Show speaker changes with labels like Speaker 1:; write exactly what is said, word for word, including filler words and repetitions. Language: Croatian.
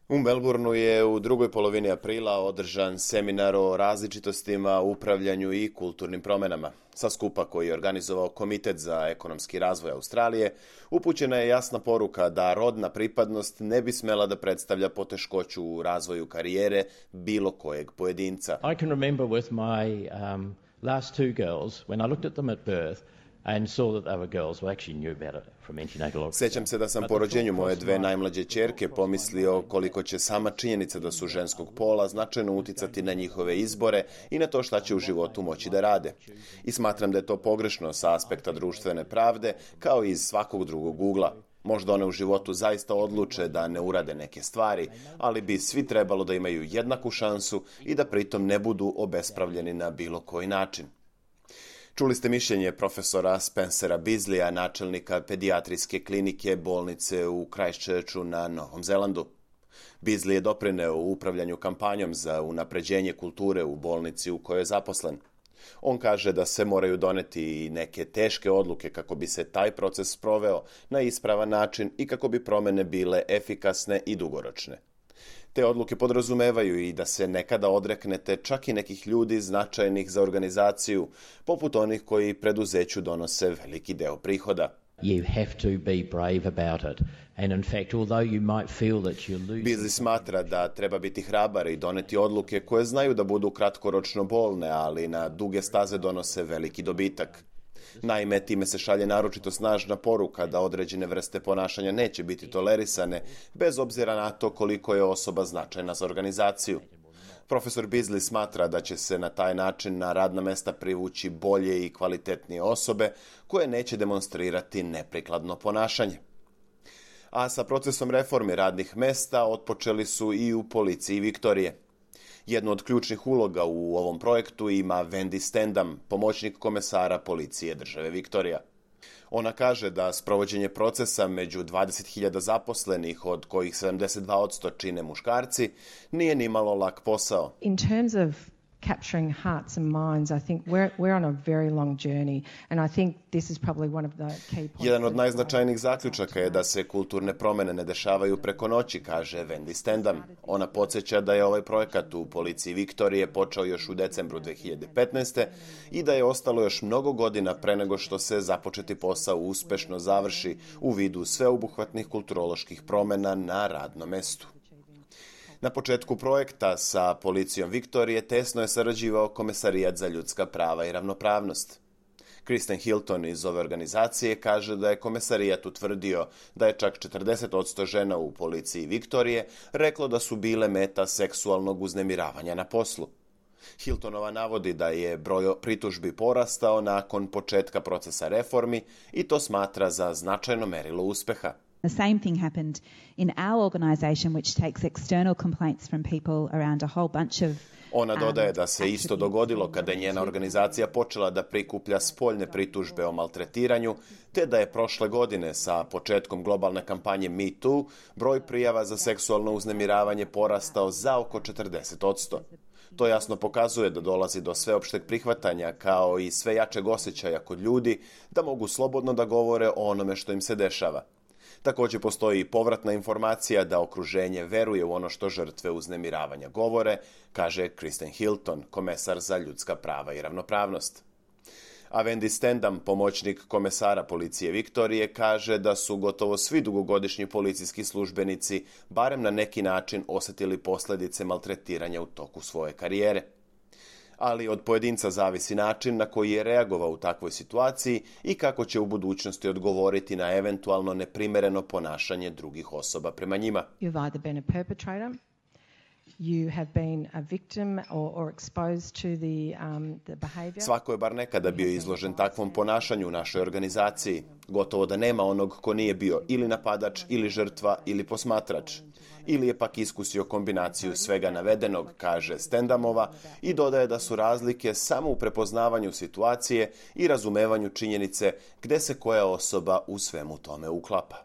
Speaker 1: U Melbourneu je u drugoj polovini aprila održan seminar o različitostima, upravljanju i kulturnim promenama. Sa skupa koji je organizovao Komitet za ekonomski razvoj Australije, upućena je jasna poruka da rodna pripadnost ne bi smela da predstavlja poteškoću u razvoju karijere bilo kojeg pojedinca.
Speaker 2: I can remember with my um, last two girls, when I looked at them at birth, and saw that they were girls who actually knew better from antenatal.
Speaker 1: Sećam se da sam po rođenju moje dve najmlađe ćerke pomislio koliko će sama činjenica da su ženskog pola značajno uticati na njihove izbore i na to šta će u životu moći da rade. I smatram da je to pogrešno sa aspekta društvene pravde, kao i iz svakog drugog ugla. Možda one u životu zaista odluče da ne urade neke stvari, ali bi svi trebalo da imaju jednaku šansu i da pritom ne budu obespravljeni na bilo koji način. Čuli ste mišljenje profesora Spencera Beasleya, načelnika pedijatrijske klinike bolnice u Christchurchu na Novom Zelandu. Beasley je doprineo u upravljanju kampanjom za unapređenje kulture u bolnici u kojoj je zaposlen. On kaže da se moraju doneti i neke teške odluke kako bi se taj proces sproveo na ispravan način i kako bi promene bile efikasne i dugoročne. Te odluke podrazumevaju i da se nekada odreknete čak i nekih ljudi značajnih za organizaciju, poput onih koji preduzeću donose veliki deo prihoda.
Speaker 2: You have to be brave about it. And in fact, although you might feel that you're losing...
Speaker 1: Beasley smatra da treba biti hrabar i doneti odluke koje znaju da budu kratkoročno bolne, ali na duge staze donose veliki dobitak. Naime, time se šalje naročito snažna poruka da određene vrste ponašanja neće biti tolerisane, bez obzira na to koliko je osoba značajna za organizaciju. Profesor Beasley smatra da će se na taj način na radna mesta privući bolje i kvalitetnije osobe koje neće demonstrirati neprikladno ponašanje. A sa procesom reforme radnih mesta otpočeli su i u policiji Viktorije. Jednu od ključnih uloga u ovom projektu ima Wendy Stendam, pomoćnik komesara policije države Viktorija. Ona kaže da sprovođenje procesa među dvadeset hiljada zaposlenih, od kojih sedamdeset dva posto čine muškarci, nije nimalo lak posao.
Speaker 3: In terms of capturing hearts and minds, I think we're, we're on a very long journey, and I think this is probably one of the key points.
Speaker 1: Jedan od najznačajnijih zaključaka je da se kulturne promene ne dešavaju preko noći, kaže Wendy Stendam. Ona podsjeća da je ovaj projekat u policiji Viktorije počeo još u decembru dve hiljade petnaeste. i da je ostalo još mnogo godina pre nego što se započeti posao uspešno završi u vidu sveobuhvatnih kulturoloških promena na radnom mestu. Na početku projekta sa policijom Viktorije tesno je sarađivao Komesarijat za ljudska prava i ravnopravnost. Kristen Hilton iz ove organizacije kaže da je Komesarijat utvrdio da je čak četrdeset posto žena u policiji Viktorije reklo da su bile meta seksualnog uznemiravanja na poslu. Hiltonova navodi da je broj pritužbi porastao nakon početka procesa reformi i to smatra za značajno merilo uspeha.
Speaker 4: The same thing happened in our organisation, which takes external complaints from people around a whole bunch of...
Speaker 1: Ona dodaje da se isto dogodilo kada je njena organizacija počela da prikuplja spoljne pritužbe o maltretiranju, te da je prošle godine sa početkom globalne kampanje Me Too broj prijava za seksualno uznemiravanje porastao za oko četrdeset posto. To jasno pokazuje da dolazi do sveopšteg prihvatanja kao i sve jačeg osjećaja kod ljudi da mogu slobodno da govore o onome što im se dešava. Također postoji povratna informacija da okruženje veruje u ono što žrtve uznemiravanja govore, kaže Kristen Hilton, komesar za ljudska prava i ravnopravnost. A Wendy Stendam, pomoćnik komesara policije Viktorije, kaže da su gotovo svi dugogodišnji policijski službenici barem na neki način osjetili posljedice maltretiranja u toku svoje karijere. Ali od pojedinca zavisi način na koji je reagovao u takvoj situaciji i kako će u budućnosti odgovoriti na eventualno neprimereno ponašanje drugih osoba prema njima.
Speaker 3: You've either been a perpetrator, you have been a victim or, or exposed to the, um, the behavior.
Speaker 1: Svako je bar nekada bio izložen takvom ponašanju u našoj organizaciji. Gotovo da nema onog ko nije bio ili napadač, ili žrtva, ili posmatrač. Ili je pak iskusio kombinaciju svega navedenog, kaže Stendamova, i dodaje da su razlike samo u prepoznavanju situacije i razumevanju činjenice gde se koja osoba u svemu tome uklapa.